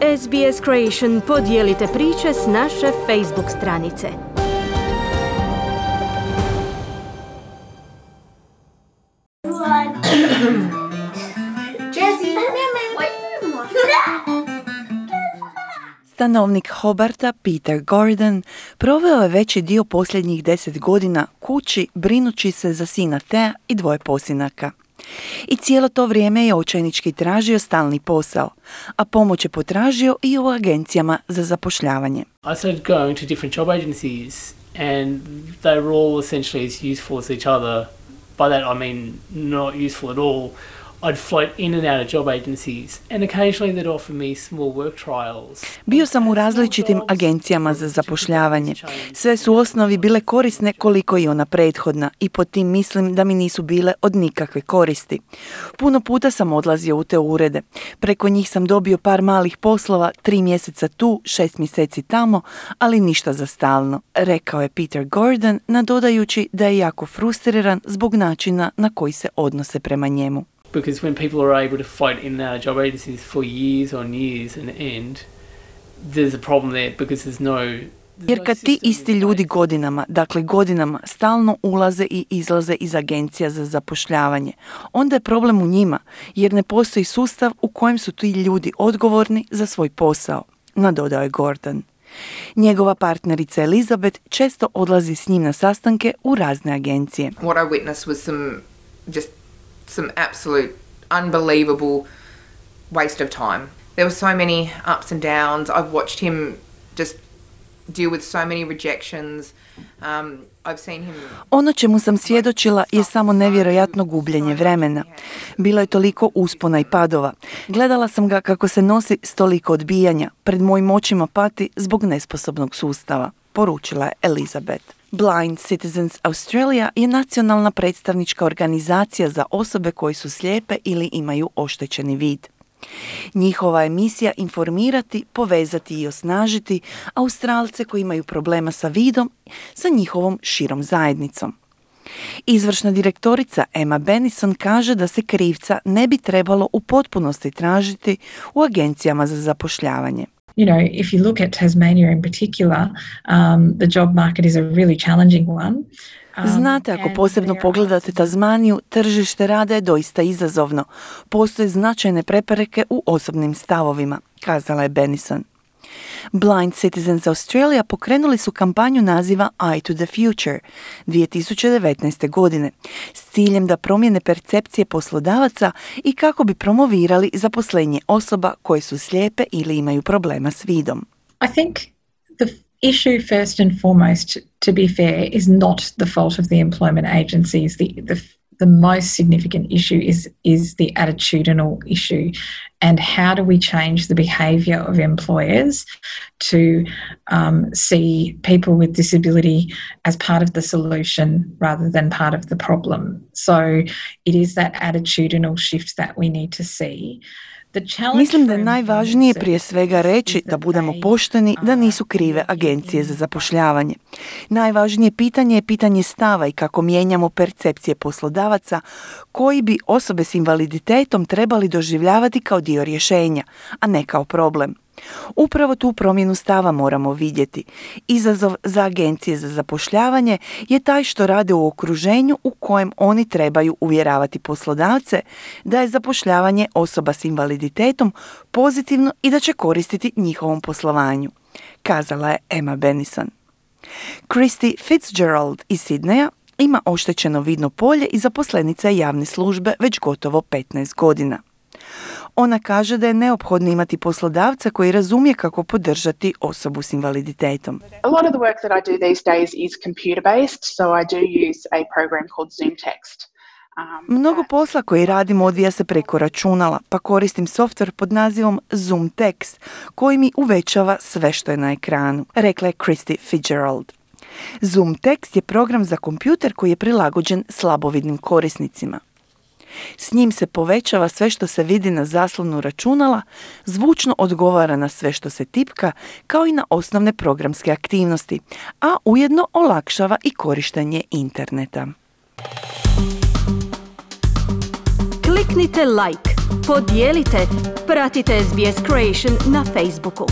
SBS Creation podijelite priče s naše Facebook stranice. Stanovnik Hobarta, Peter Gordon, proveo je veći dio posljednjih 10 godina kući brinući se za sina Thea i 2 posinaka. I cijelo to vrijeme je očajnički tražio stalni posao, a pomoć je potražio i u agencijama za zapošljavanje. I started going to different job agencies and they were all essentially as useful as each other. By that I mean not useful at all. I'd float in and out of job agencies and occasionally they'd offer me small work trials. Bio sam u različitim agencijama za zapošljavanje. Sve su u osnovi bile korisne koliko i ona prethodna i pod tim mislim da mi nisu bile od nikakve koristi. Puno puta sam odlazio u te urede. Preko njih sam dobio par malih poslova, 3 mjeseca tu, 6 mjeseci tamo, ali ništa za stalno, rekao je Peter Gordon, nadodajući da je jako frustriran zbog načina na koji se odnose prema njemu. Because when people are able to float in and out of job agencies for years on years and end, there's a problem there because there's no... Jer kad ti isti ljudi godinama stalno ulaze i izlaze iz agencija za zapošljavanje, onda je problem u njima, jer ne postoji sustav u kojem su ti ljudi odgovorni za svoj posao, nadodao je Gordon. Njegova partnerica Elizabeth često odlazi s njim na sastanke u razne agencije. What I witnessed was some absolute unbelievable waste of time. There were so many ups and downs. I've watched him just deal with so many rejections. I've seen him... Ono čemu sam svjedočila je samo nevjerojatno gubljenje vremena. Bilo je toliko uspona i padova. Gledala sam ga kako se nosi s toliko odbijanja. Pred mojim očima pati zbog nesposobnog sustava, poručila je Elizabeth. Blind Citizens Australia je nacionalna predstavnička organizacija za osobe koje su slijepe ili imaju oštećeni vid. Njihova je misija informirati, povezati i osnažiti Australce koji imaju problema sa vidom sa njihovom širom zajednicom. Izvršna direktorica Emma Bennison kaže da se krivca ne bi trebalo u potpunosti tražiti u agencijama za zapošljavanje. You know, if you look at Tasmania in particular, the job market is a really challenging one. Znate, ako posebno pogledate Tasmaniju, tržište rada je doista izazovno. Postoje značajne prepreke u osobnim stavovima, kazala je Bennison. Blind Citizens Australia pokrenuli su kampanju naziva Eye to the Future 2019. godine s ciljem da promijene percepcije poslodavaca i kako bi promovirali zaposlenje osoba koje su slijepe ili imaju problema s vidom. I think the issue first and foremost, to be fair, is not the fault of the employment agencies. The most significant issue is the attitudinal issue, and how do we change the behaviour of employers to see people with disability as part of the solution rather than part of the problem. So it is that attitudinal shift that we need to see. Mislim da je najvažnije prije svega reći, da budemo pošteni, da nisu krive agencije za zapošljavanje. Najvažnije pitanje je pitanje stava i kako mijenjamo percepcije poslodavaca koji bi osobe s invaliditetom trebali doživljavati kao dio rješenja, a ne kao problem. Upravo tu promjenu stava moramo vidjeti. Izazov za agencije za zapošljavanje je taj što rade u okruženju u kojem oni trebaju uvjeravati poslodavce da je zapošljavanje osoba s invaliditetom pozitivno i da će koristiti njihovom poslovanju, kazala je Emma Bennison. Christy Fitzgerald iz Sidneja ima oštećeno vidno polje i zaposlenica je javne službe već gotovo 15 godina. Ona kaže da je neophodno imati poslodavca koji razumije kako podržati osobu s invaliditetom. A lot of the work that I do these days is computer-based, so I do use a program called ZoomText. Mnogo posla koji radim odvija se preko računala, pa koristim softver pod nazivom ZoomText, koji mi uvećava sve što je na ekranu, rekla je Christy Fitzgerald. ZoomText je program za kompjuter koji je prilagođen slabovidnim korisnicima. S njim se povećava sve što se vidi na zaslonu računala, zvučno odgovara na sve što se tipka, kao i na osnovne programske aktivnosti, a ujedno olakšava i korištenje interneta. Kliknite like, podijelite, pratite SBS Creation na Facebooku.